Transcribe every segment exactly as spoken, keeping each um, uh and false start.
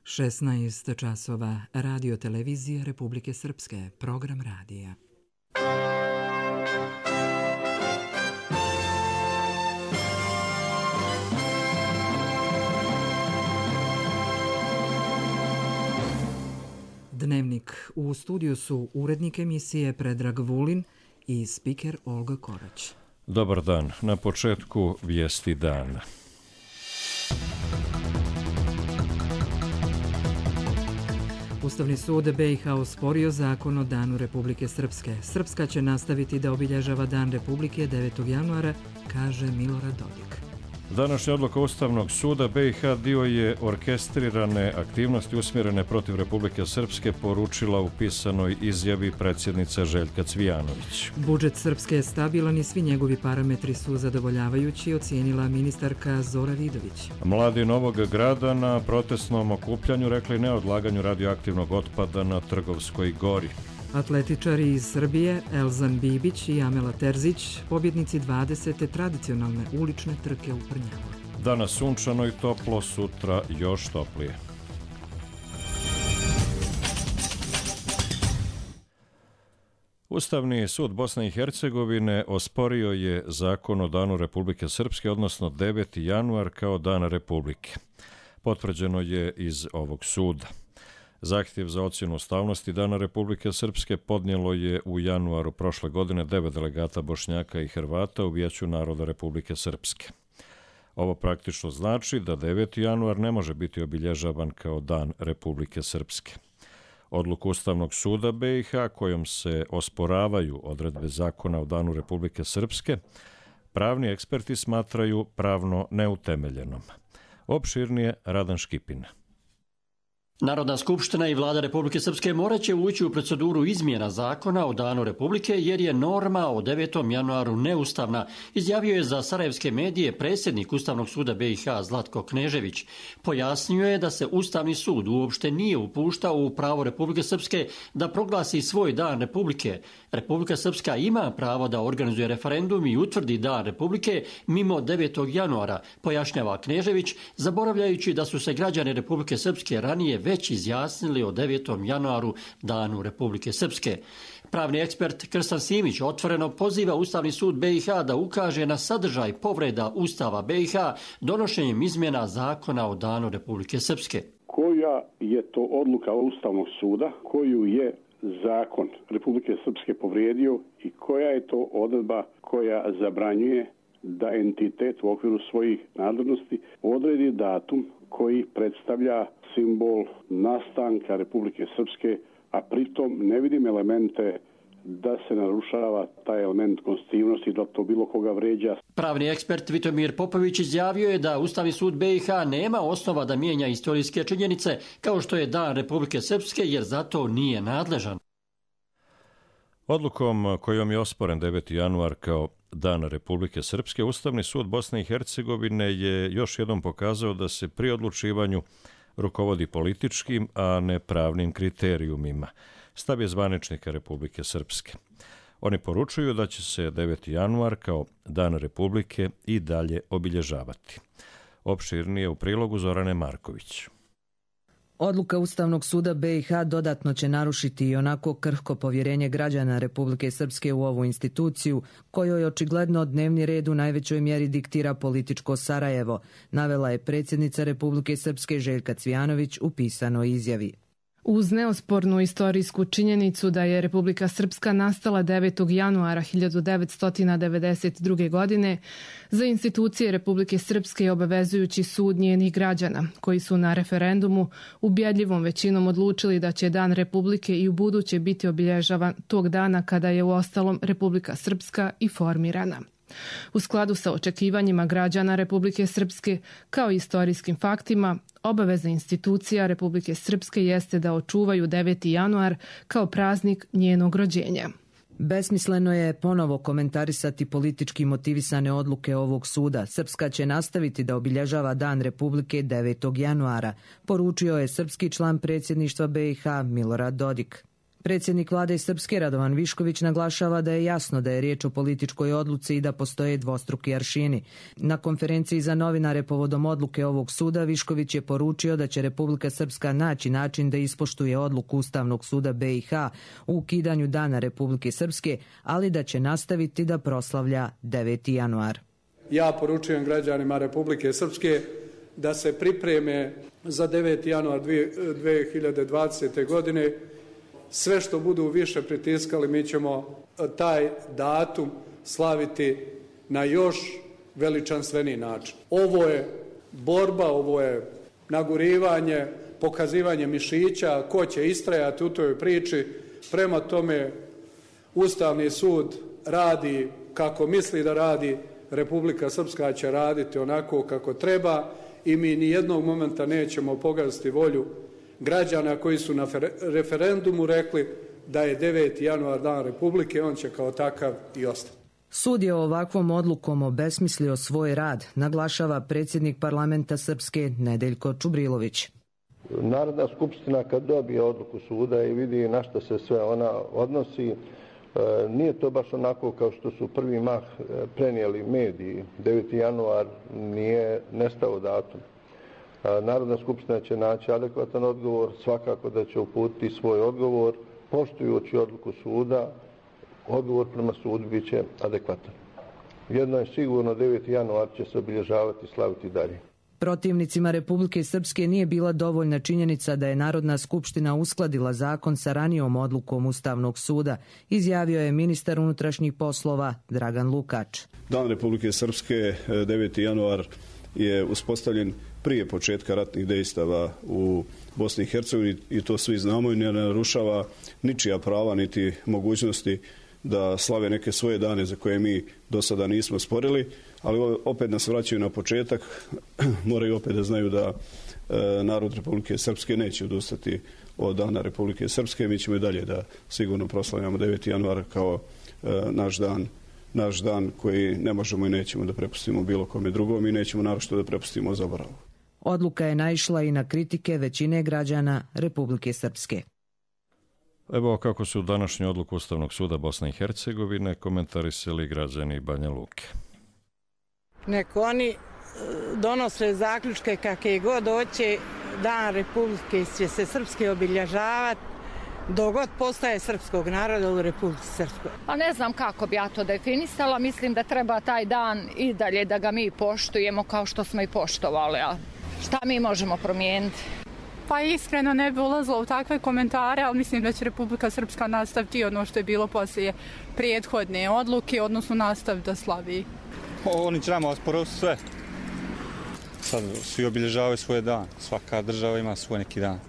šesnaest časova, Radio televizija Republike Srpske, program radija. Dnevnik. U studiju su urednik emisije Predrag Vulin i spiker Olga Korać. Dobar dan. Na početku vijesti dana. Ustavni sud B i H osporio zakon o Danu Republike Srpske. Srpska će nastaviti da obilježava Dan Republike devetog januara, kaže Milorad Dodik. Današnja odluka Ustavnog suda B i H dio je orkestrirane aktivnosti usmjerene protiv Republike Srpske, poručila u pisanoj izjavi predsjednica Željka Cvijanović. Budžet Srpske je stabilan i svi njegovi parametri su zadovoljavajući, ocijenila ministarka Zora Vidović. Mladi Novog Grada na protestnom okupljanju rekli ne odlaganju radioaktivnog otpada na Trgovskoj gori. Atletičari iz Srbije Elzan Bibić i Amela Terzić, pobjednici dvadesete tradicionalne ulične trke u Prnjavu. Danas sunčano i toplo, sutra još toplije. Ustavni sud Bosne i Hercegovine osporio je zakon o Danu Republike Srpske, odnosno deveti januar kao Dan Republike. Potvrđeno je iz ovog suda. Zahtjev za ocjenu ustavnosti Dana Republike Srpske podnijelo je u januaru prošle godine devet delegata Bošnjaka i Hrvata u Vijeću naroda Republike Srpske. Ovo praktično znači da deveti januar ne može biti obilježavan kao Dan Republike Srpske. Odluku Ustavnog suda B i H kojom se osporavaju odredbe zakona o Danu Republike Srpske, pravni eksperti smatraju pravno neutemeljenom. Opširnije Radan Škipin. Narodna skupština i vlada Republike Srpske morat će ući u proceduru izmjena zakona o Danu Republike jer je norma o devetom januaru neustavna, izjavio je za sarajevske medije predsjednik Ustavnog suda B i H Zlatko Knežević. Pojasnio je da se Ustavni sud uopšte nije upuštao u pravo Republike Srpske da proglasi svoj Dan Republike. Republika Srpska ima pravo da organizuje referendum i utvrdi Dan Republike mimo devetog januara, pojašnjava Knežević, zaboravljajući da su se građani Republike Srpske ranije već izjasnili o devetom januaru, Danu Republike Srpske. Pravni ekspert Krstan Simić otvoreno poziva Ustavni sud B i H da ukaže na sadržaj povreda Ustava B i H donošenjem izmjena zakona o Danu Republike Srpske. Koja je to odluka Ustavnog suda koju je zakon Republike Srpske povrijedio i koja je to odredba koja zabranjuje da entitet u okviru svojih nadležnosti odredi datum koji predstavlja simbol nastanka Republike Srpske, a pritom ne vidim elemente da se narušava taj element konstitutivnosti, da to bilo koga vređa. Pravni ekspert Vitomir Popović izjavio je da Ustavni sud B i H nema osnova da mijenja istorijske činjenice kao što je Dan Republike Srpske jer zato nije nadležan. Odlukom kojom je osporen deveti januar kao Dan Republike Srpske, Ustavni sud Bosne i Hercegovine je još jednom pokazao da se pri odlučivanju rukovodi političkim, a ne pravnim kriterijumima. Stav je zvaničnika Republike Srpske. Oni poručuju da će se deveti januar kao Dan Republike i dalje obilježavati. Opširnije u prilogu Zorane Marković. Odluka Ustavnog suda B i H dodatno će narušiti i onako krhko povjerenje građana Republike Srpske u ovu instituciju, kojoj očigledno dnevni red u najvećoj mjeri diktira političko Sarajevo, navela je predsjednica Republike Srpske Željka Cvijanović u pisanoj izjavi. Uz neospornu istorijsku činjenicu da je Republika Srpska nastala devetog januara hiljadu devetsto devedeset druge. godine, za institucije Republike Srpske je obavezujući sud njenih građana, koji su na referendumu ubjedljivom većinom odlučili da će Dan Republike i u buduće biti obilježavan tog dana kada je uostalom Republika Srpska i formirana. U skladu sa očekivanjima građana Republike Srpske kao i istorijskim faktima, obaveza institucija Republike Srpske jeste da očuvaju deveti januar kao praznik njenog rođenja. Besmisleno je ponovo komentarisati politički motivisane odluke ovog suda. Srpska će nastaviti da obilježava Dan Republike devetog januara, poručio je srpski član predsjedništva B i H Milorad Dodik. Predsjednik vlade Srpske Radovan Višković naglašava da je jasno da je riječ o političkoj odluci i da postoje dvostruki aršini. Na konferenciji za novinare povodom odluke ovog suda Višković je poručio da će Republika Srpska naći način da ispoštuje odluku Ustavnog suda B i H u ukidanju Dana Republike Srpske, ali da će nastaviti da proslavlja deveti januar. Ja poručujem građanima Republike Srpske da se pripreme za deveti januar dvije hiljade dvadesete. godine. Sve što budu više pritiskali, mi ćemo taj datum slaviti na još veličanstveniji način. Ovo je borba, ovo je nagurivanje, pokazivanje mišića, ko će istrajati u toj priči. Prema tome, Ustavni sud radi kako misli da radi, Republika Srpska će raditi onako kako treba i mi ni jednog momenta nećemo pogaziti volju građana koji su na referendumu rekli da je deveti januar dan Republike, on će kao takav i ostati. Sud je ovakvom odlukom obesmislio svoj rad, naglašava predsjednik parlamenta Srpske Nedeljko Čubrilović. Narodna skupština kad dobije odluku suda i vidi na što se sve ona odnosi, nije to baš onako kao što su prvi mah prenijeli mediji. deveti januar nije nestao datum. Narodna skupština će naći adekvatan odgovor, svakako da će uputiti svoj odgovor, poštujući odluku suda, odgovor prema sudu bit će adekvatan. Jedno je sigurno, deveti januar će se obilježavati i slaviti dalje. Protivnicima Republike Srpske nije bila dovoljna činjenica da je Narodna skupština uskladila zakon sa ranijom odlukom Ustavnog suda, izjavio je ministar unutrašnjih poslova Dragan Lukač. Dan Republike Srpske, deveti januar, je uspostavljen prije početka ratnih dejstava u Bosni i Hercegovini i to svi znamo i ne narušava ničija prava niti mogućnosti da slave neke svoje dane za koje mi do sada nismo sporili, ali opet nas vraćaju na početak, moraju opet da znaju da e, narod Republike Srpske neće odustati od Dana Republike Srpske. Mi ćemo i dalje da sigurno proslavljamo deveti januar kao e, naš dan, naš dan koji ne možemo i nećemo da prepustimo bilo kome drugom i nećemo naročito da prepustimo zaboravu. Odluka je naišla i na kritike većine građana Republike Srpske. Evo kako su današnju odluku Ustavnog suda Bosne i Hercegovine komentarisali građani Banja Luke. Neko oni donose zaključke kakve god hoće, Dan Republike će se srpske obilježavati dok god postaje srpskog naroda u Republici Srpskoj. Pa ne znam kako bi ja to definisala, mislim da treba taj dan i dalje da ga mi poštujemo kao što smo i poštovali, a šta mi možemo promijeniti? Pa iskreno ne bi ulazila u takve komentare, ali mislim da će Republika Srpska nastaviti ono što je bilo poslije prethodne odluke, odnosno nastaviti da slavi. Oni će nama osporiti sve. Sad svi obilježavaju svoj dan, svaka država ima svoj neki dan.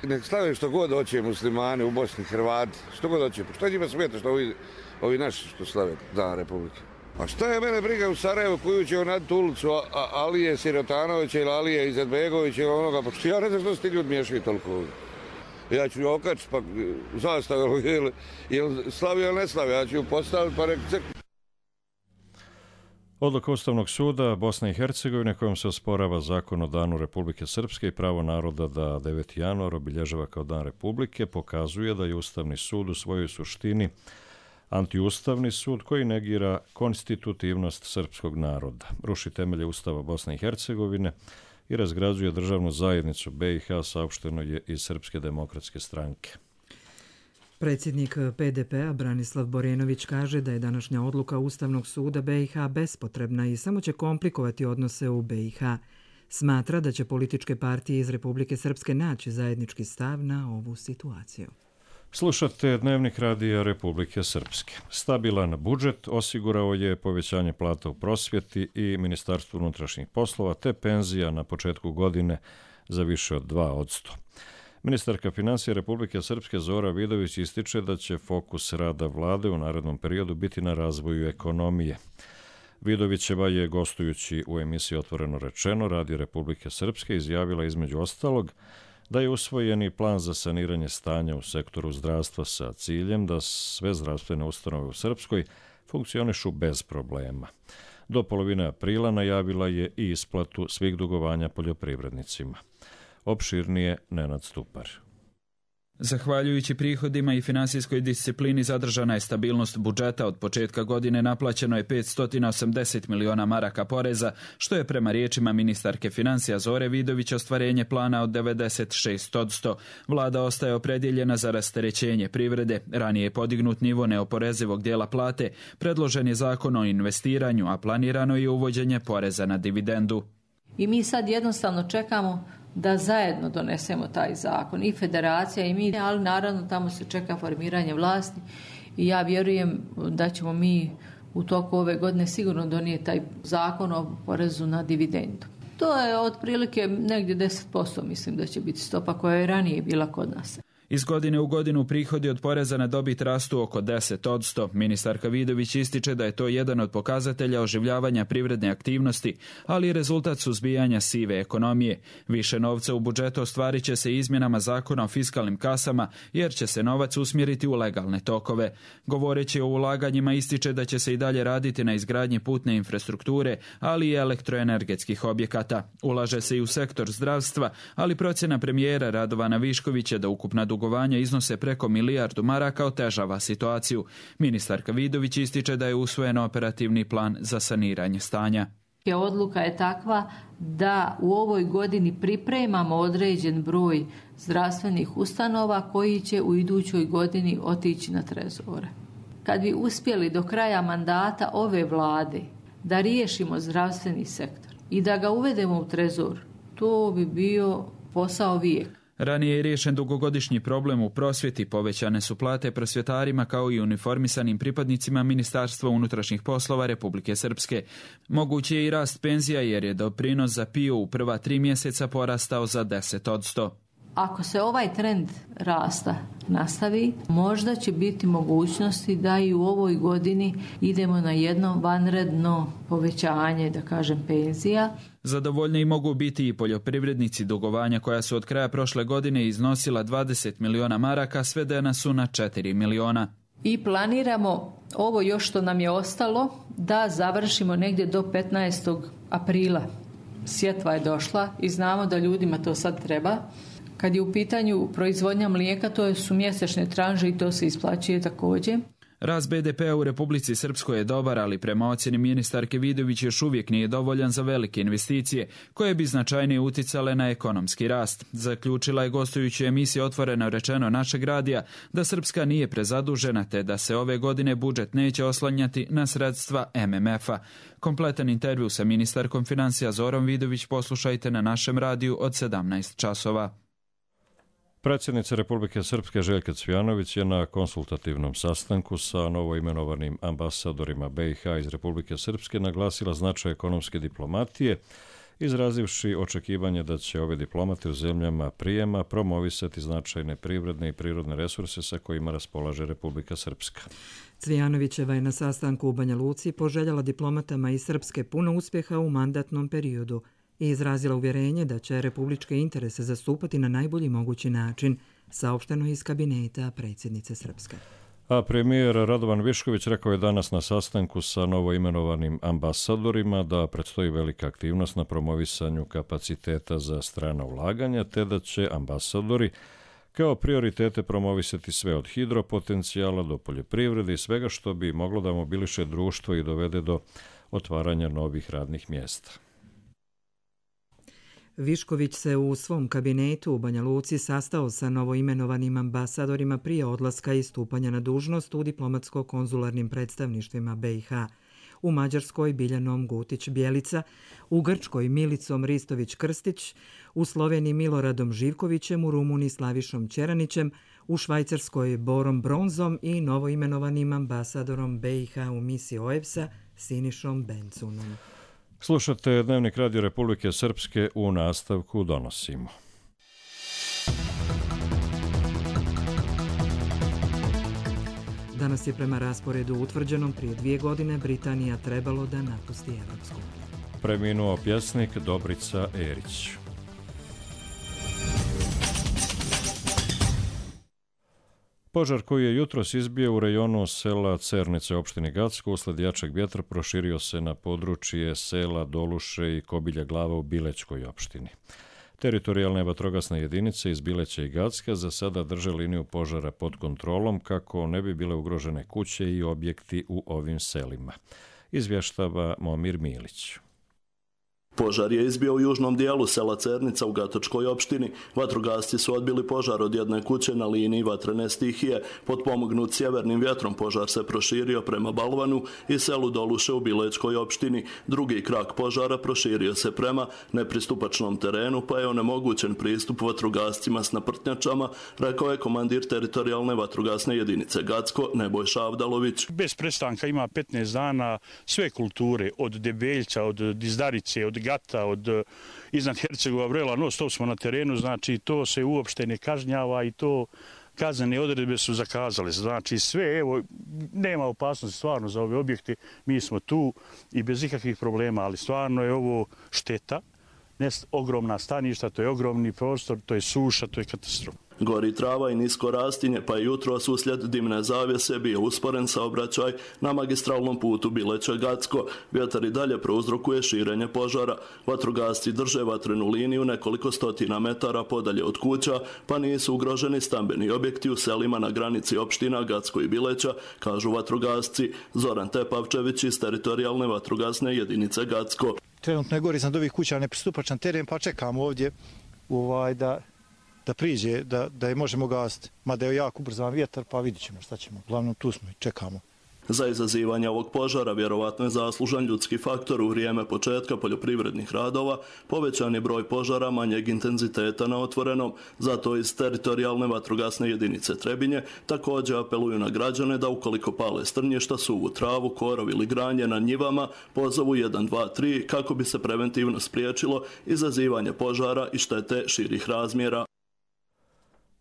Nek slave što god hoće muslimani u Bosni, Hrvati, što god hoće. Što njima smeta što ovi, ovi naši što slave Dan Republike? A šta je mene briga u Sarajevu koju će onaditi ulicu Alije Sirotanovića ili Alije Izetbegovića ili onoga, pa što ja ne znam što se ti ljudi miješaju toliko ovdje. Ja ću okačiti pa zastavu ili, ili slavi ili ne slavi, ja ću ju postaviti pa nek crkvi. Odluka Ustavnog suda Bosne i Hercegovine kojom se osporava zakon o Danu Republike Srpske i pravo naroda da deveti januar obilježava kao Dan Republike pokazuje da je Ustavni sud u svojoj suštini antiustavni sud koji negira konstitutivnost srpskog naroda, ruši temelje Ustava Bosne i Hercegovine i razgrađuje državnu zajednicu B i H, saopšteno je iz Srpske demokratske stranke. Predsjednik P D P-a Branislav Borenović kaže da je današnja odluka Ustavnog suda B i H bespotrebna i samo će komplikovati odnose u B i H. Smatra da će političke partije iz Republike Srpske naći zajednički stav na ovu situaciju. Slušate Dnevnik radija Republike Srpske. Stabilan budžet osigurao je povećanje plata u prosvjeti i Ministarstvu unutrašnjih poslova te penzija na početku godine za više od dva posto. Ministarka financija Republike Srpske Zora Vidović ističe da će fokus rada vlade u narednom periodu biti na razvoju ekonomije. Vidovićeva je, gostujući u emisiji Otvoreno rečeno, Radio Republike Srpske, izjavila između ostalog da je usvojeni plan za saniranje stanja u sektoru zdravstva sa ciljem da sve zdravstvene ustanove u Srpskoj funkcionišu bez problema. Do polovine aprila najavila je i isplatu svih dugovanja poljoprivrednicima. Opširnije Nenad Stupar. Zahvaljujući prihodima i finansijskoj disciplini zadržana je stabilnost budžeta. Od početka godine naplaćeno je petsto osamdeset miliona maraka poreza, što je prema riječima ministarke financija Zore Vidović ostvarenje plana od devedeset šest posto. Vlada ostaje opredjeljena za rasterećenje privrede. Ranije je podignut nivo neoporezivog dijela plate, predložen je zakon o investiranju, a planirano je uvođenje poreza na dividendu. I mi sad jednostavno čekamo da zajedno donesemo taj zakon, i federacija i mi, ali naravno tamo se čeka formiranje vlasti i ja vjerujem da ćemo mi u toku ove godine sigurno donijeti taj zakon o porezu na dividendu. To je otprilike negdje deset posto, mislim da će biti stopa koja je ranije bila kod nas. Iz godine u godinu prihodi od poreza na dobit rastu oko deset posto. Ministarka Vidović ističe da je to jedan od pokazatelja oživljavanja privredne aktivnosti, ali i rezultat suzbijanja sive ekonomije. Više novca u budžetu ostvarit će se izmjenama zakona o fiskalnim kasama, jer će se novac usmjeriti u legalne tokove. Govoreći o ulaganjima ističe da će se i dalje raditi na izgradnji putne infrastrukture, ali i elektroenergetskih objekata. Ulaže se i u sektor zdravstva, ali procjena premijera Radovana Viškovića da ukupna dugovanja iznose preko milijardu maraka otežava situaciju. Ministarka Vidović ističe da je usvojen operativni plan za saniranje stanja. Odluka je takva da u ovoj godini pripremamo određen broj zdravstvenih ustanova koji će u idućoj godini otići na trezore. Kad bi uspjeli do kraja mandata ove vlade da riješimo zdravstveni sektor i da ga uvedemo u trezor, to bi bio posao vijeka. Ranije je riješen dugogodišnji problem u prosvjeti, povećane su plate prosvjetarima kao i uniformisanim pripadnicima Ministarstva unutrašnjih poslova Republike Srpske. Mogući je i rast penzija jer je doprinos za P I O u prva tri mjeseca porastao za deset posto. Ako se ovaj trend rasta nastavi, možda će biti mogućnosti da i u ovoj godini idemo na jedno vanredno povećanje, da kažem, penzija. Zadovoljni mogu biti i poljoprivrednici. Dugovanja koja su od kraja prošle godine iznosila dvadeset miliona maraka, svedena su na četiri miliona. I planiramo ovo još što nam je ostalo da završimo negdje do petnaestog aprila. Sjetva je došla i znamo da ljudima to sad treba. Kad je u pitanju proizvodnja mlijeka, to su mjesečne tranže i to se isplaćuje također. Rast be de pea u Republici Srpskoj je dobar, ali prema ocjeni ministarke Vidović još uvijek nije dovoljan za velike investicije, koje bi značajnije uticale na ekonomski rast. Zaključila je gostujući emisiju Otvoreno rečeno našeg radija da Srpska nije prezadužena, te da se ove godine budžet neće oslanjati na sredstva em em efa. Kompletan intervju sa ministarkom financija Zorom Vidović poslušajte na našem radiju od sedamnaest časova. Predsjednica Republike Srpske Željka Cvijanović je na konsultativnom sastanku sa novoimenovanim ambasadorima be i ha iz Republike Srpske naglasila značaj ekonomske diplomatije, izrazivši očekivanje da će ove diplomate u zemljama prijema promovisati značajne privredne i prirodne resurse sa kojima raspolaže Republika Srpska. Cvijanovićeva je na sastanku u Banja Luci poželjala diplomatama iz Srpske puno uspjeha u mandatnom periodu i izrazila uvjerenje da će republičke interese zastupati na najbolji mogući način, saopšteno iz kabineta predsjednice Srpske. A premijer Radovan Višković rekao je danas na sastanku sa novoimenovanim ambasadorima da predstoji velika aktivnost na promovisanju kapaciteta za strana ulaganja, te da će ambasadori kao prioritete promovisati sve od hidropotencijala do poljoprivrede i svega što bi moglo da mobiliše društvo i dovede do otvaranja novih radnih mjesta. Višković se u svom kabinetu u Banja Luci sastao sa novoimenovanim ambasadorima prije odlaska i stupanja na dužnost u diplomatsko-konzularnim predstavništvima be i ha. U Mađarskoj Biljanom Gutić-Bjelica, u Grčkoj Milicom Ristović-Krstić, u Sloveniji Miloradom Živkovićem, u Rumuniji Slavišom Ćeranićem, u Švajcarskoj Borom Bronzom i novoimenovanim ambasadorom be i ha u misiji o e b es-a Sinišom Bencunom. Slušate Dnevnik Radio Republike Srpske, u nastavku donosimo. Danas je prema rasporedu utvrđenom prije dvije godine Britanija trebalo da napusti Evropsku. Preminuo pjesnik Dobrica Erić. Požar koji je jutros izbio u rejonu sela Cernice opštine Gacko usled jačeg vjetra proširio se na područje sela Doluše i Kobilja Glava u Bilećkoj opštini. Teritorijalne vatrogasne jedinice iz Bileća i Gacka za sada drže liniju požara pod kontrolom kako ne bi bile ugrožene kuće i objekti u ovim selima. Izvještava Momir Milić. Požar je izbio u južnom dijelu sela Cernica u Gatočkoj opštini. Vatrogasci su odbili požar od jedne kuće na liniji vatrene stihije. Potpomognut sjevernim vjetrom požar se proširio prema Balvanu i selu Doluše u Bilečkoj opštini. Drugi krak požara proširio se prema nepristupačnom terenu, pa je onemogućen pristup vatrogascima s naprtnjačama, rekao je komandir teritorijalne vatrogasne jedinice Gacko Nebojša Avdalović. Bez prestanka ima petnaest dana sve kulture, od Debeljca, od Dizdarice, od Gata, od iznad Hercegova Vrela, no stop smo na terenu, znači to se uopšte ne kažnjava i to kaznene odredbe su zakazale. Znači sve, evo, nema opasnosti stvarno za ove objekte, mi smo tu i bez ikakvih problema, ali stvarno je ovo šteta, ne ogromna staništa, to je ogromni prostor, to je suša, to je katastrofa. Gori trava i nisko rastinje, pa je jutros uslijed dimne zavjese bio usporen saobraćaj na magistralnom putu Bileće-Gacko. Vjetar i dalje prouzrokuje širenje požara. Vatrogasci drže vatrenu liniju nekoliko stotina metara podalje od kuća, pa nisu ugroženi stambeni objekti u selima na granici opština Gacko i Bileća, kažu vatrogasci. Zoran Tepavčević iz teritorijalne vatrogasne jedinice Gacko. Trenutno je gori iznad ovih kuća nepristupačan teren, pa čekamo ovdje ovaj, da da priđe, da, da je možemo gasiti. Mada je jako ubrzan vjetar, pa vidit ćemo šta ćemo. Glavno tu smo i čekamo. Za izazivanje ovog požara vjerovatno je zaslužan ljudski faktor. U vrijeme početka poljoprivrednih radova povećan je broj požara manjeg intenziteta na otvorenom. Zato iz teritorijalne vatrogasne jedinice Trebinje također apeluju na građane da ukoliko pale strnješta, suvu travu, korov ili granje na njivama, pozovu jedan dva tri kako bi se preventivno spriječilo izazivanje požara i štete širih razmjera.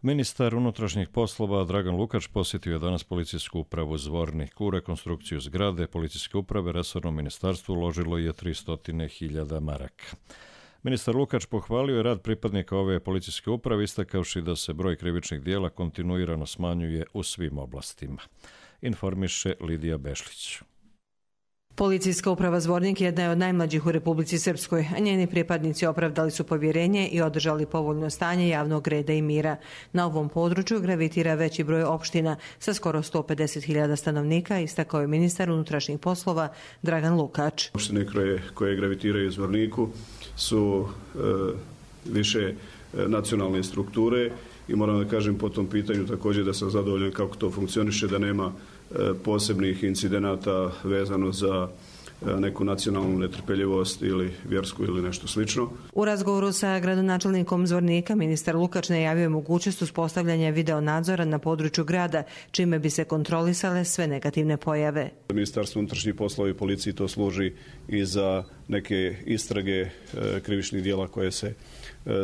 Ministar unutrašnjih poslova Dragan Lukač posjetio je danas policijsku upravu Zvornik. U rekonstrukciju zgrade policijske uprave resorno ministarstvo uložilo je tristo hiljada maraka. Ministar Lukač pohvalio je rad pripadnika ove policijske uprave, istakavši da se broj krivičnih dijela kontinuirano smanjuje u svim oblastima. Informiše Lidija Bešlić. Policijska uprava Zvornik jedna je od najmlađih u Republici Srpskoj, a njeni pripadnici opravdali su povjerenje i održali povoljno stanje javnog reda i mira. Na ovom području gravitira veći broj opština sa skoro sto pedeset hiljada stanovnika, istakao je ministar unutrašnjih poslova Dragan Lukač. Opštine koje, koje gravitiraju u Zvorniku su e, više e, nacionalne strukture i moram da kažem po tom pitanju također da sam zadovoljan kako to funkcioniše, da nema posebnih incidenata vezano za neku nacionalnu netrpeljivost ili vjersku ili nešto slično. U razgovoru sa gradonačelnikom Zvornika ministar Lukač najavio je mogućnost uspostavljanja video nadzora na području grada, čime bi se kontrolisale sve negativne pojave. Ministarstvo unutrašnjih poslova i policiji to služi i za neke istrage krivičnih djela koje se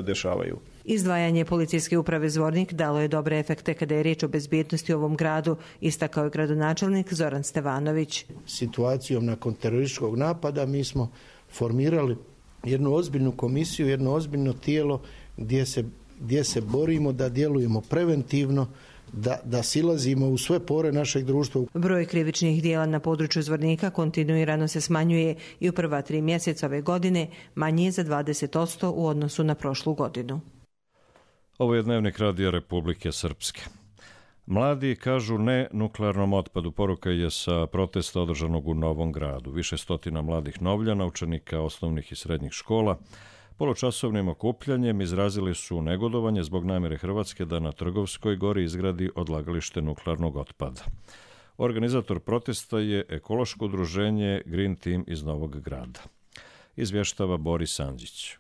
dešavaju. Izdvajanje policijske uprave Zvornik dalo je dobre efekte kada je riječ o bezbjednosti u ovom gradu, istakao je gradonačelnik Zoran Stevanović. Situacijom nakon terorističkog napada mi smo formirali jednu ozbiljnu komisiju, jedno ozbiljno tijelo gdje se, gdje se borimo da djelujemo preventivno, da, da silazimo u sve pore našeg društva. Broj krivičnih dijela na području Zvornika kontinuirano se smanjuje i u prva tri mjeseca ove godine manji je za dvadeset posto u odnosu na prošlu godinu. Ovo je Dnevnik Radija Republike Srpske. Mladi kažu ne nuklearnom otpadu. Poruka je sa protesta održanog u Novom Gradu. Više stotina mladih Novljana, učenika osnovnih i srednjih škola, polučasovnim okupljanjem izrazili su negodovanje zbog namjere Hrvatske da na Trgovskoj gori izgradi odlagalište nuklearnog otpada. Organizator protesta je ekološko udruženje Green Team iz Novog Grada. Izvještava Boris Andžić.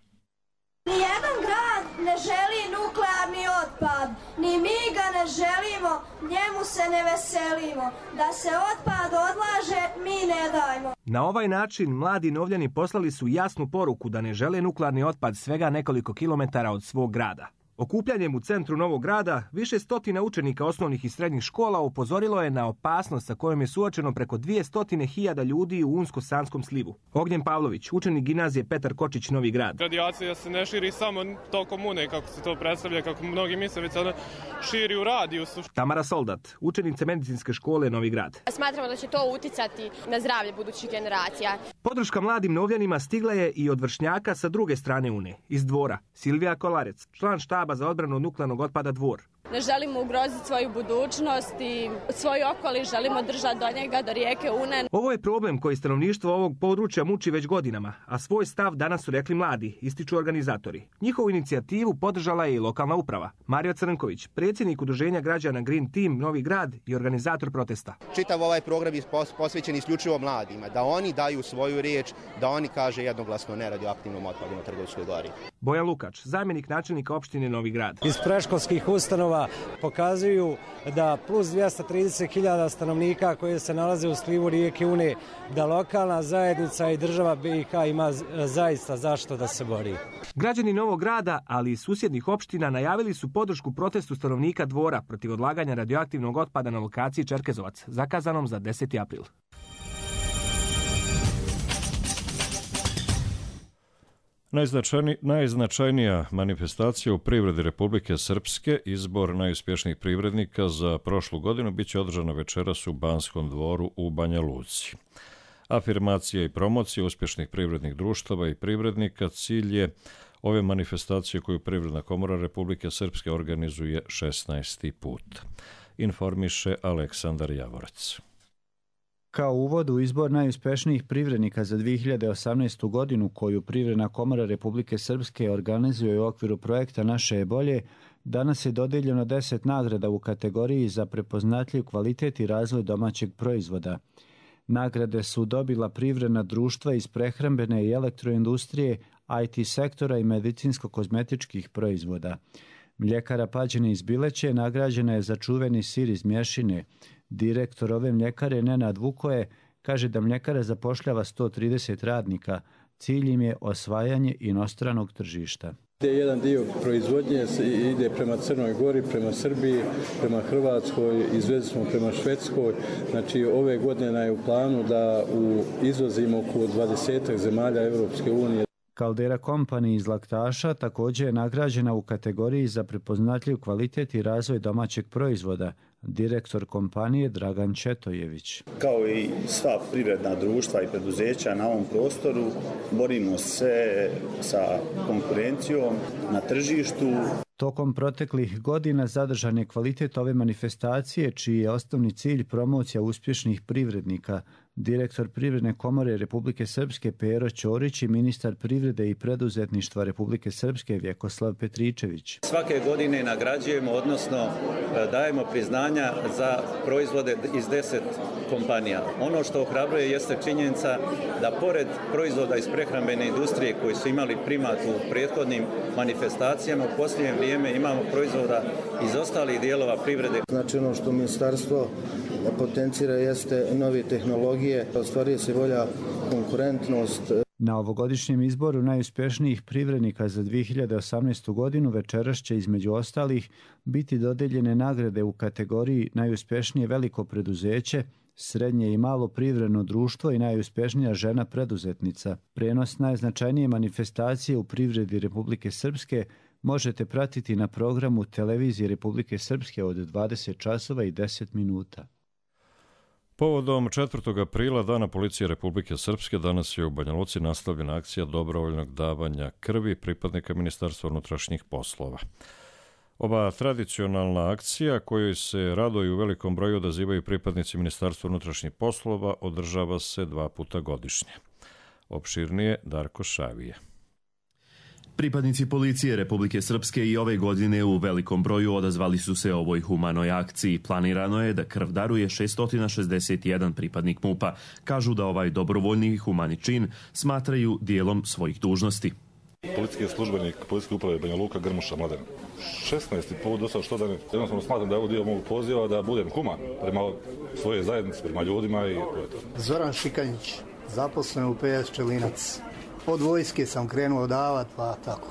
Nijedan grad ne želi nuklearni otpad, ni mi ga ne želimo, njemu se ne veselimo. Da se otpad odlaže, mi ne dajmo. Na ovaj način mladi Novljani poslali su jasnu poruku da ne žele nuklearni otpad svega nekoliko kilometara od svog grada. Okupljanjem u centru Novog Grada više stotina učenika osnovnih i srednjih škola upozorilo je na opasnost sa kojom je suočeno preko dvjesto hiljada ljudi u Unsko-Sanskom slivu. Ognjen Pavlović, učenik gimnazije Petar Kočić, Novi Grad. Radijacija se ne širi samo tokom une, kako se to predstavlja, kako mnogi misle, već ona širi u radijusu. Tamara Soldat, učenica medicinske škole Novi Grad. Smatramo da će to uticati na zdravlje budućih generacija. Podrška mladim Novljanima stigla je i od vršnjaka sa druge strane une, iz Dvora. Silvija Kolarec, član štaba za odbranu od nuklearnog otpada Dvor. Ne želimo ugroziti svoju budućnost i svoj okoliš, želimo držati do njega, do rijeke Une. Ovo je problem koji stanovništvo ovog područja muči već godinama, a svoj stav danas su rekli mladi, ističu organizatori. Njihovu inicijativu podržala je i lokalna uprava. Mario Crnković, predsjednik udruženja građana Green Team Novi Grad i organizator protesta. Čitav ovaj program je posvećen isključivo mladima, da oni daju svoju riječ, da oni kaže jednoglasno ne radioaktivnom otpadu na Trgovskoj gori. Bojan Lukač, zamjenik načelnika opštine Novi Grad. Iz predškolskih ustanova pokazuju da plus dvjesto trideset hiljada stanovnika koje se nalaze u slivu rijeke Une, da lokalna zajednica i država B i H ima zaista zašto da se bori. Građani Novog Grada, ali i susjednih opština najavili su podršku protestu stanovnika Dvora protiv odlaganja radioaktivnog otpada na lokaciji Čerkezovac, zakazanom za deseti april. Najznačajni, najznačajnija manifestacija u privredi Republike Srpske, izbor najuspješnijih privrednika za prošlu godinu, bit će održana večeras u Banskom dvoru u Banja Luci. Afirmacija i promocija uspješnih privrednih društava i privrednika cilj je ove manifestacije koju Privredna komora Republike Srpske organizuje šesnaesti put. Informiše Aleksandar Javorec. Kao uvod u izbor najuspješnijih privrednika za dvije hiljade osamnaestu. godinu koju Privredna komora Republike Srpske organizuje u okviru projekta Naše je bolje, danas je dodijeljeno deset nagrada u kategoriji za prepoznatljiv kvalitet i razvoj domaćeg proizvoda. Nagrade su dobila privredna društva iz prehrambene i elektroindustrije, I T sektora i medicinsko-kozmetičkih proizvoda. Mljekara Pađene iz Bileće nagrađena je za čuveni sir iz Mješine. Direktor ove mljekare Nenad Vukoje kaže da mljekara zapošljava sto trideset radnika. Cilj im je osvajanje inostranog tržišta. Jedan dio proizvodnje ide prema Crnoj Gori, prema Srbiji, prema Hrvatskoj, izvezli smo prema Švedskoj. Znači ove godine je u planu da u izvozimo oko dvadesetak zemalja Europske unije. Caldera Company iz Laktaša također je nagrađena u kategoriji za prepoznatljiv kvalitet i razvoj domaćeg proizvoda. Direktor kompanije Dragan Četojević. Kao i sva privredna društva i preduzeća na ovom prostoru, borimo se sa konkurencijom na tržištu. Tokom proteklih godina zadržan je kvalitet ove manifestacije, čiji je osnovni cilj promocija uspješnih privrednika. Direktor Privredne komore Republike Srpske Pero Ćorić i ministar privrede i preduzetništva Republike Srpske Vjekoslav Petričević. Svake godine nagrađujemo, odnosno dajemo priznanja za proizvode iz deset kompanija. Ono što ohrabruje jeste činjenica da pored proizvoda iz prehrambene industrije koji su imali primat u prethodnim manifestacijama, u posljednje vrijeme imamo proizvoda iz ostalih dijelova privrede. Znači ono što ministarstvo potencira jeste nove tehnologije, ostvaruje se bolja konkurentnost. Na ovogodišnjem izboru najuspješnijih privrednika za dvije hiljade osamnaestu. godinu večeras će između ostalih biti dodeljene nagrade u kategoriji najuspješnije veliko preduzeće, srednje i malo privredno društvo i najuspješnija žena preduzetnica. Prenos najznačajnije manifestacije u privredi Republike Srpske možete pratiti na programu Televizije Republike Srpske od dvadeset časova i deset minuta. Povodom četvrtog aprila, Dana policije Republike Srpske, danas je u Banja Luci nastavljena akcija dobrovoljnog davanja krvi pripadnika Ministarstva unutrašnjih poslova. Ova tradicionalna akcija, kojoj se rado i u velikom broju odazivaju pripadnici Ministarstva unutrašnjih poslova, održava se dva puta godišnje. Opširnije Darko Šavije. Pripadnici policije Republike Srpske i ove godine u velikom broju odazvali su se ovoj humanoj akciji. Planirano je da krv daruje šesto šezdeset jedan pripadnik MUP-a. Kažu da ovaj dobrovoljni i humani čin smatraju dijelom svojih dužnosti. Policijski službenik Policijske uprave Banja Luka Grmuša Mladen. šesnaesti put do sada što da ne, jednostavno smatram da je ovo dio mog poziva da budem human prema svoje zajednici, prema ljudima i to je to. Zoran Šikanjić, zaposlen u P S Čelinac. Od vojske sam krenuo davati, pa tako.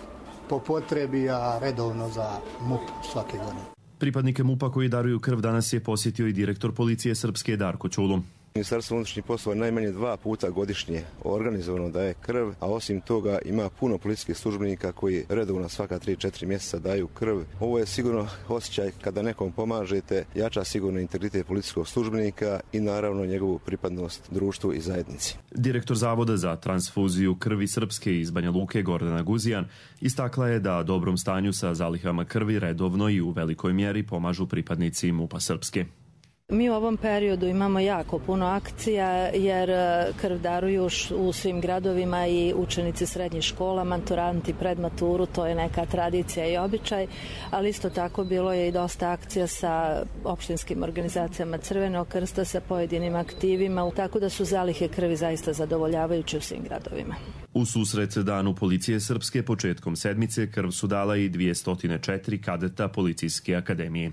po potrebi, a redovno za M U P svake godine. Pripadnike M U P-a koji daruju krv danas je posjetio i direktor policije Srpske Darko Čulu. Ministarstvo unutrašnjih poslova najmanje dva puta godišnje organizovano daje krv, a osim toga ima puno policijskih službenika koji redovno svaka tri četiri mjeseca daju krv. Ovo je sigurno osjećaj kada nekom pomažete, jača sigurno integritet policijskog službenika i naravno njegovu pripadnost društvu i zajednici. Direktor Zavoda za transfuziju krvi Srpske iz Banja Luke Gordana Guzijan istakla je da dobrom stanju sa zalihama krvi redovno i u velikoj mjeri pomažu pripadnici M U P-a Srpske. Mi u ovom periodu imamo jako puno akcija jer krv daruju u svim gradovima i učenici srednjih škola, maturanti pred maturu, to je neka tradicija i običaj, ali isto tako bilo je i dosta akcija sa opštinskim organizacijama Crvenog krsta, sa pojedinim aktivima, tako da su zalihe krvi zaista zadovoljavajuće u svim gradovima. U susret Danu policije Srpske početkom sedmice krv su dala i dvjesto četiri kadeta Policijske akademije.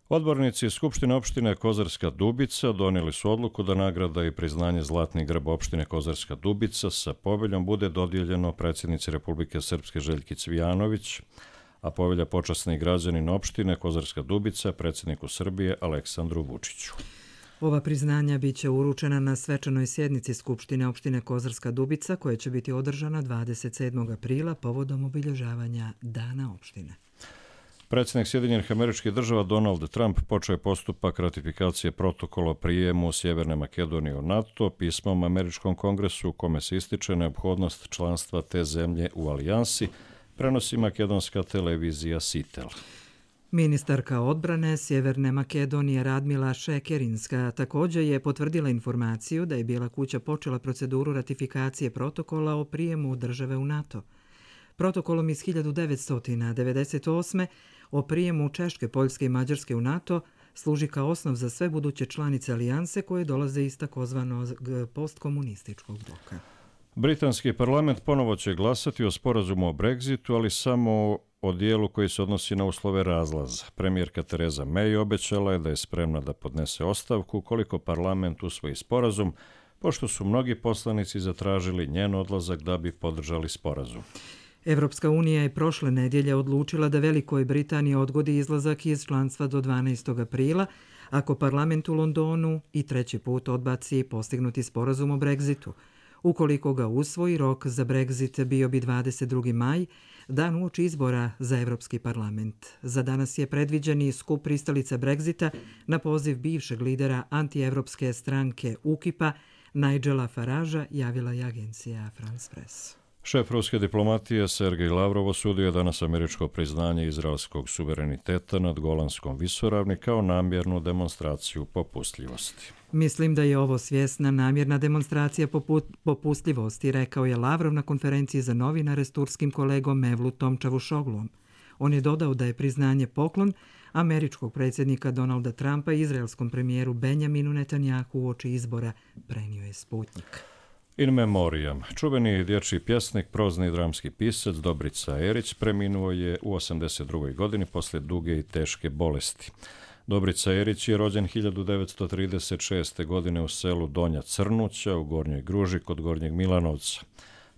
Odbornici Skupštine opštine Kozarska Dubica donijeli su odluku da nagrada i priznanje Zlatni grb opštine Kozarska Dubica sa poveljom bude dodijeljeno predsjednici Republike Srpske Željki Cvijanović, a povelja počasni građanin opštine Kozarska Dubica predsjedniku Srbije Aleksandru Vučiću. Ova priznanja bit će uručena na svečanoj sjednici Skupštine opštine Kozarska Dubica koja će biti održana dvadeset sedmog aprila povodom obilježavanja Dana opštine. Predsjednik Sjedinjenih Američkih Država Donald Trump počeo je postupak ratifikacije protokola o prijemu Sjeverne Makedonije u NATO pismom Američkom kongresu u kome se ističe neophodnost članstva te zemlje u alijansi, prenosi makedonska televizija Sitel. Ministarka odbrane Sjeverne Makedonije Radmila Šekerinska također je potvrdila informaciju da je Bijela kuća počela proceduru ratifikacije protokola o prijemu države u NATO. Protokolom iz hiljadu devetsto devedeset osme o prijemu Češke, Poljske i Mađarske u NATO služi kao osnov za sve buduće članice alijanse koje dolaze iz takozvanog postkomunističkog bloka. Britanski parlament ponovo će glasati o sporazumu o Brexitu, ali samo o dijelu koji se odnosi na uslove razlaza. Premijerka Tereza May obećala je da je spremna da podnese ostavku koliko parlament usvoji sporazum, pošto su mnogi poslanici zatražili njen odlazak da bi podržali sporazum. Evropska unija je prošle nedjelje odlučila da Velikoj Britaniji odgodi izlazak iz članstva do dvanaestog aprila, ako parlament u Londonu i treći put odbaci postignuti sporazum o Brexitu. Ukoliko ga usvoji, rok za Brexit bio bi dvadeset drugi maj, dan uoči izbora za Evropski parlament. Za danas je predviđeni skup pristalica Brexita na poziv bivšeg lidera antievropske stranke U K I P-a Nigela Faragea, javila je agencija France Press. Šef ruske diplomatije Sergej Lavrov osudio je danas američko priznanje izraelskog suvereniteta nad Golanskom visoravni kao namjernu demonstraciju popustljivosti. Mislim da je ovo svjesna namjerna demonstracija popustljivosti, rekao je Lavrov na konferenciji za novinare s turskim kolegom Mevlutom Čavusogluom. On je dodao da je priznanje poklon američkog predsjednika Donalda Trumpa i izraelskom premijeru Benjaminu Netanjahu uoči izbora, prenio je Sputnik. In memoriam. Čuveni dječji pjesnik, prozni i dramski pisac Dobrica Erić preminuo je u osamdeset drugoj godini poslije duge i teške bolesti. Dobrica Erić je rođen hiljadu devetsto trideset šeste. godine u selu Donja Crnuća u Gornjoj Gruži kod Gornjeg Milanovca.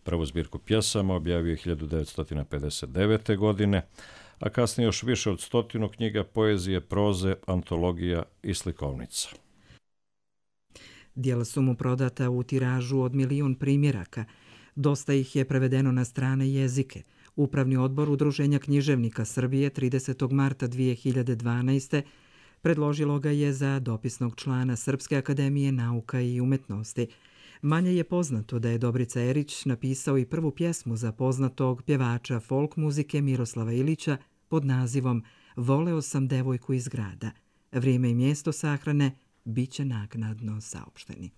Prvu zbirku pjesama objavio je hiljadu devetsto pedeset devete. godine, a kasnije još više od stotinu knjiga poezije, proze, antologija i slikovnica. Dijela su mu prodata u tiražu od milijun primjeraka. Dosta ih je prevedeno na strane jezike. Upravni odbor Udruženja književnika Srbije tridesetog marta dvije hiljade dvanaeste. predložilo ga je za dopisnog člana Srpske akademije nauka i umetnosti. Manje je poznato da je Dobrica Erić napisao i prvu pjesmu za poznatog pjevača folk muzike Miroslava Ilića pod nazivom Voleo sam devojku iz grada. Vrijeme i mjesto sahrane bit će naknadno saopšteni.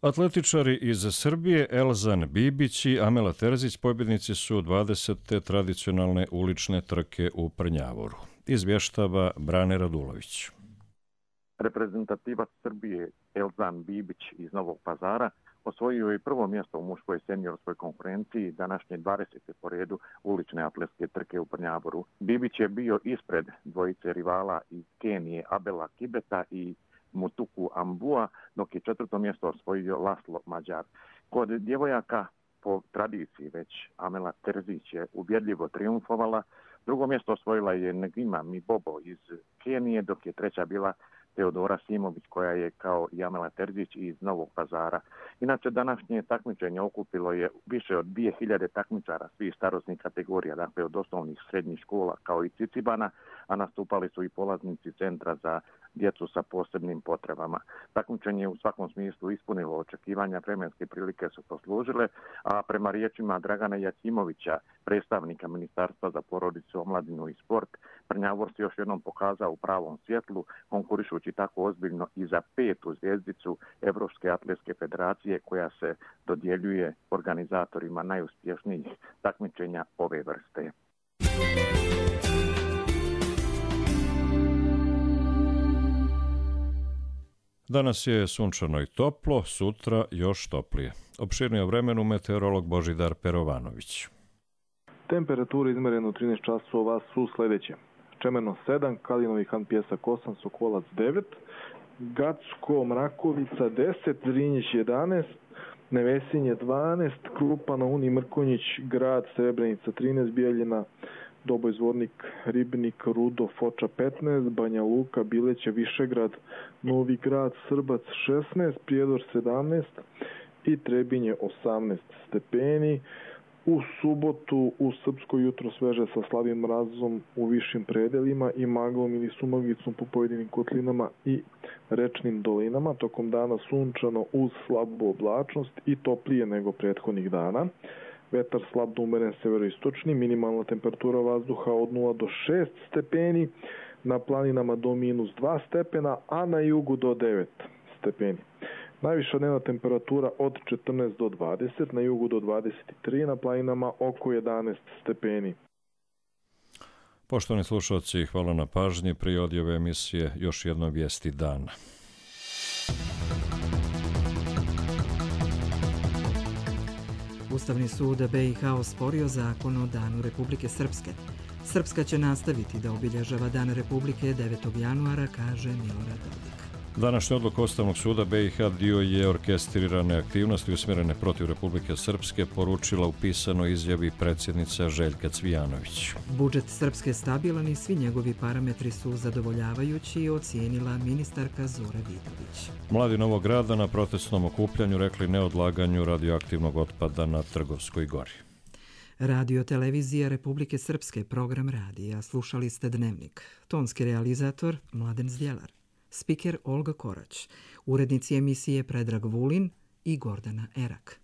Atletičari iz Srbije Elzan Bibić i Amela Terzić pobjednici su dvadesete tradicionalne ulične trke u Prnjavoru. Izvještava Brane Radulović. Reprezentativac Srbije Elzan Bibić iz Novog Pazara osvojio je prvo mjesto u muškoj seniorskoj konkurenciji današnje dvadesete po redu ulične atletske trke u Brnjaboru. Bibić je bio ispred dvojice rivala iz Kenije Abela Kibeta i Mutuku Ambua, dok je četvrto mjesto osvojio Laslo Mađar. Kod djevojaka po tradiciji već Amela Terzić je ubjedljivo triumfovala. Drugo mjesto osvojila je Negima Mibobo iz Kenije, dok je treća bila Teodora Simović, koja je kao i Amela Terzić iz Novog Pazara. Inače, današnje takmičenje okupilo je više od dvije hiljade takmičara svih starosnih kategorija, dakle od osnovnih srednjih škola kao i Cicibana, a nastupali su i polaznici Centra za djecu sa posebnim potrebama. Takmičenje u svakom smislu ispunilo očekivanja, vremenske prilike su poslužile, a prema riječima Dragana Jacimovića, predstavnika Ministarstva za porodicu, omladinu i sport, Brnjavor se još jednom pokazao u pravom svjetlu, konkurišući tako ozbiljno i za petu zvjezdicu Evropske atletske federacije koja se dodjeljuje organizatorima najuspješnijih takmičenja ove vrste. Danas je sunčano i toplo, sutra još toplije. Opširnije o vremenu meteorolog Božidar Perovanović. Temperature izmerene u trinaest časova su sljedeće. Čemerno sedam, Kalinovi Han Pjesak osam, Sokolac devet, Gacko Mrakovica deset, Zrinjić jedanaest, Nevesinje dvanaest, Krupa na Uni Mrkonjić, Grad Srebrenica trinaest, Bijeljina, Doboj Zvornik, Ribnik, Rudo, Foča petnaest, Banja Luka, Bileće, Višegrad, Novi Grad, Srbac šesnaest, Prijedor sedamnaest i Trebinje osamnaest stepeni. U subotu u Srpsko jutro sveže sa slabim mrazom u višim predelima i maglom ili sumaglicom po pojedinim kotlinama i rečnim dolinama. Tokom dana sunčano uz slabu oblačnost i toplije nego prethodnih dana. Vetar slab do umeren severoistočni, minimalna temperatura vazduha od nula do šest stepeni, na planinama do minus dva stepena, a na jugu do devet stepeni. Najviša dnevna temperatura od četrnaest do dvadeset, na jugu do dvadeset tri, na planinama oko jedanaest stepeni. Poštovani slušalci, hvala na pažnji. Prije odjave emisije još jedno vijesti dana. Ustavni sud B i H osporio zakon o Danu Republike Srpske. Srpska će nastaviti da obilježava Dan Republike devetog januara, kaže Milorad Dodik. Današnja odluka Ustavnog suda B i H dio je orkestrirane aktivnosti usmjerene protiv Republike Srpske, poručila u pisanoj izjavi predsjednica Željka Cvijanović. Budžet Srpske stabilan i svi njegovi parametri su zadovoljavajući, ocijenila ministarka Zora Vidović. Mladi Novog Grada na protestnom okupljanju rekli neodlaganju radioaktivnog otpada na Trgovskoj gori. Radio televizija Republike Srpske, program radija. Slušali ste Dnevnik. Tonski realizator Mladen Zdjelar. Spiker Olga Korać. Urednici emisije Predrag Vulin i Gordana Erak.